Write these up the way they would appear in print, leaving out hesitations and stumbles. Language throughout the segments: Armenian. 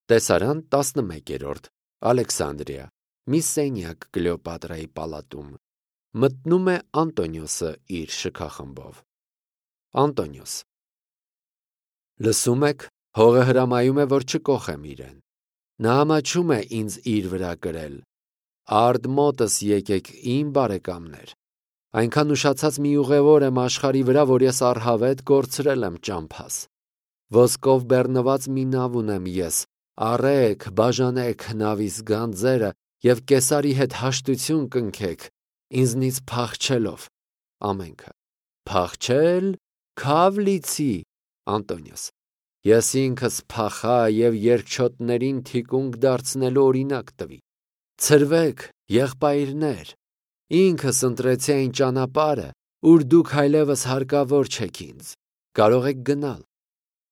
Տեսարան 11-րդ Ալեքսանդրիա մի սենյակ Կլեոպատրայի պալատում մտնում է Անտոնիոսը իր շքախմբով։ Անտոնիոս. լսում եք, հողը հրամայում է, որ չկոխեմ իրեն։ Նա ամաչում է ինձ իր վրա կրել։ Արդ մոտս եկեք իմ բարեկամներ։ Այնքան ուշացած մի ուղևոր եմ աշխարհի վրա, որ ես առհավետ կորցրել եմ ճամփաս։ Ոսկով բեռնված մի նավ ունեմ ես, առեք, բաժանեք նավիս գանձերը և Կեսարի հետ հաշտություն կնքեք, ինձնից փախչելով։ Ամենքը. փախչել, քավ լիցի։ Անտոնիոս. ես ինքս փախա և երկչոտներին թիկունք դարձնելու օրինակ տվի։ Ցրվեք, եղբայրներ, ինքս ընտրեցի այն ճանապարհը, ուր դուք այլևս հարկավոր չեք ինձ։ Կարող եք գնալ։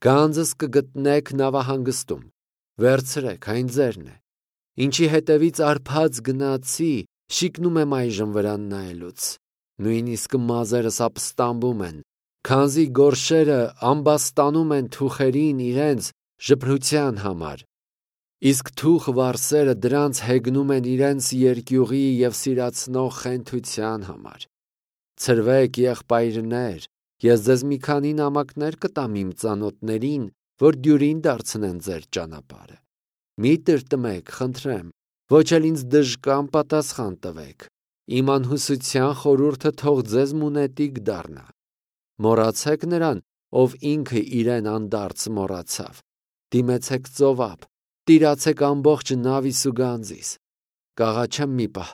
Գանձս կգտնեք նավահանգստում։ Վերցրեք, այն ձերն է։ Ինչի հետևից արբած գնացի, շիկնում եմ այժմ վրան նայելուց։ Նույնիսկ մազերս ապստամբում են, քանզի գորշերը ամբաստանում են թուխերին իրենց ժպրության համար, իսկ թուխ վարսերը դրանց հեգնում են իրենց երկյուղի և սիրացնող խենթության համար։ Ցրվեք, եղբայրներ, ես ձեզ մի քանի նամակներ կտամ իմ ծանոթներին, որ դյուրին դարձնեն ձեր ճանապարհը։ Մի տրտմեք, խնդրեմ, ոչ էլ ինձ դժկամ պատասխան տվեք։ Իմ անհուսության խորհուրդը թող ձեզ մունետիկ դառնա։ Մոռացեք նրան, ով ինքը իրեն անդարձ մոռացավ։ Դիմեցեք ծովափ, տիրացեք ամբողջ նավիս ու գանձիս։ Կաղաչեմ մի պահ,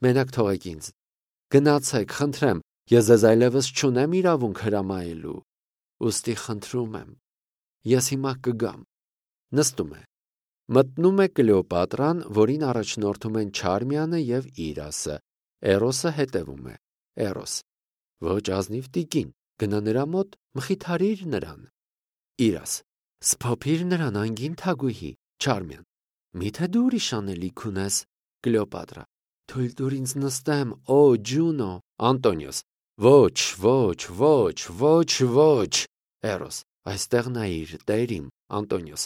մենակ թողեք ինձ։ Գնացեք, խնդրեմ, ես ձեզ այլևս չունեմ իրավունք հրամայելու։ Ուստի խնդրում եմ, ես հիմա կգամ։ Նստում է։ Մտնում է Կլեոպատրան, որին առաջնորդում են Չարմիանը և Իրասը։ Էրոսը հետևում է։ Էրոս. ոչ ազնիվ տիկին, գնա նրա մոտ, մխիթարիր նրան։ Իրաս. սփոփիր նրան, անգին թագուհի։ Չարմիան. միթե դու ուրիշ անելիք ունես։ Կլեոպատրա. թույլ տուր ինձ նստեմ, օ Ջունո։ Անտոնիոս. ոչ, ոչ, ոչ, ոչ, ոչ։ Էրոս. այստեղ նայիր, տեր իմ։ Անտոնիոս.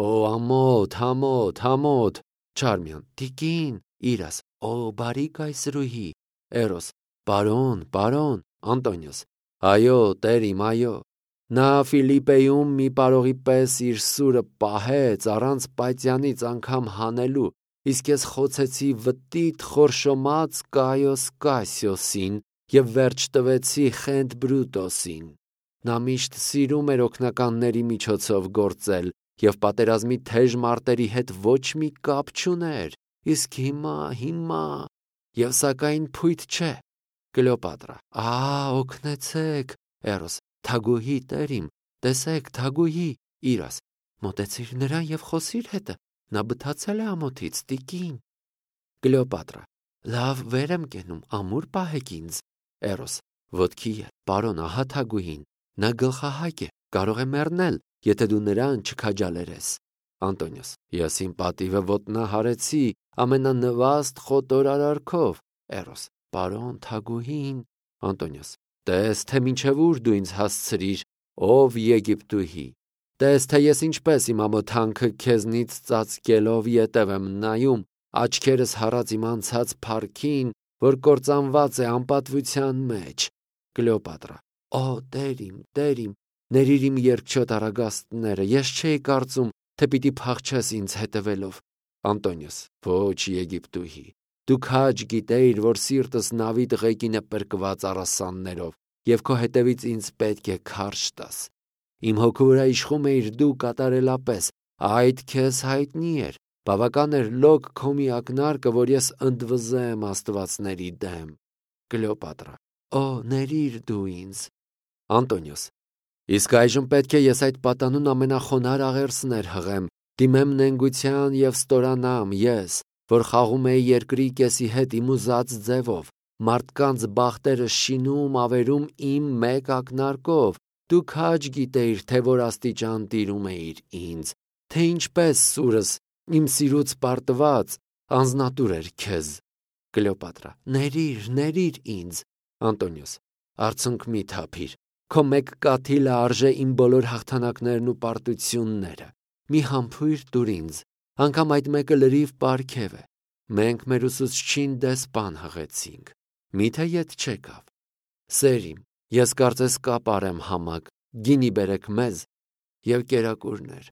օ ամոթ, ամոթ, ամոթ։ Չարմիան. տիկին։ Իրաս. օ բարի կայսրուհի։ Էրոս. պարոն, պարոն։ Անտոնիոս. այո, տեր իմ, այո։ Նա Ֆիլիպպեում մի պարողի պես իր սուրը պահեց առանց պատյանից անգամ հանելու, իսկ ես խոցեցի վտիտ խորշոմած Կայոս Կասիոսին և վերջ տվեցի Խենթ Բրուտոսին։ Նա միշտ սիրում էր օգնականների միջոցով գործել և պատերազմի թեժ մարտերի հետ ոչ մի կապ չուներ, իսկ հիմա, և սակայն փույթ չէ։ Կլեոպատրա. օգնեցեք։ Էրոս. թագուհի, տեր իմ, տեսեք, թագուհի։ Իրաս. մոտեցիր նրան և խոսիր հետը, նա բթացել է ամոթից, տիկին։ Կլեոպատրա. լավ, վեր եմ կենում, ամուր պահեք ինձ։ Էրոս. ոտքի ել, պարոն, ահա թագուհին, նա գլխահայք է, կարող է մեռնել, եթե դու նրան չքաջալերես։ Անտոնիոս. ես իմ պատիվը ոտնահարեցի ամենանվաստ խոտոր արարքով։ Էրոս. պարոն, թագուհին։ Անտոնիոս. տես, թե մինչև ուր դու ինձ հասցրիր, ով Եգիպտուհի։ Տես, թե ես ինչպես իմ ամոթանքը քեզնից ծածկելով ետև եմ նայում, աչքերս հառած իմ անցած փառքին, որ կործանված է անպատվության մեջ։ Կլեոպատրա. տեր իմ, ների իմ երկչոտ առագաստները, ես չէի կարծում, թե պիտի փախչես ինձ հետևելով։ Անտոնիոս. ոչ, Եգիպտուհի, դու քաջ գիտեիր, որ սիրտս նավի տղեկին է պրկված առասաններով, և քո հետևից ինձ պետք է քարշ տաս։ Իմ հոգու վրա իշխում էիր դու կատարելապես, այդ քեզ հայտնի էր, բավական էր լոկ քո մի ակնարկը, որ ես ընդվզեմ աստվածների դեմ։ Կլեոպատրա. ներիր դու ինձ։ Անտոնիոս. իսկ այժմ պետք է ես այդ պատանուն ամենախոնար աղերսներ հղեմ, դիմեմ նենգության և ստորանամ ես, որ խաղում էի երկրի կեսի հետ իմ ուզած ձևով, մարդկանց բախտերը շինում ավերում իմ մեկ ակնարկով, դու քաջ գիտեիր, թե որ աստիճան տիրում էիր ինձ, թե ինչպես սուրս իմ սիրուց պարտված անձնատուր էր քեզ։ Կլեոպատրա. ներիր ինձ։ Անտոնիոս. արցունք մի թափիր, քո մեկ կաթիլը արժե իմ բոլոր հաղթանակներն ու պարտությունները, մի համբույր տուր ինձ, Անգամ այդ մեկը լրիվ պարգև է։ Մենք մեր ուսուցչին դեսպան հղեցինք։ Միթե ետ չեկավ։ Սերիմ, ես կարծես կապարեմ համակ, գինի բերեք մեզ և կերակուրներ։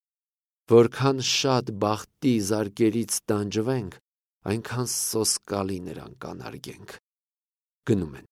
Որքան շատ բախտի զարկերից տանջվենք, այնքան սոսկալի նրան կանարգենք։ Գնում են։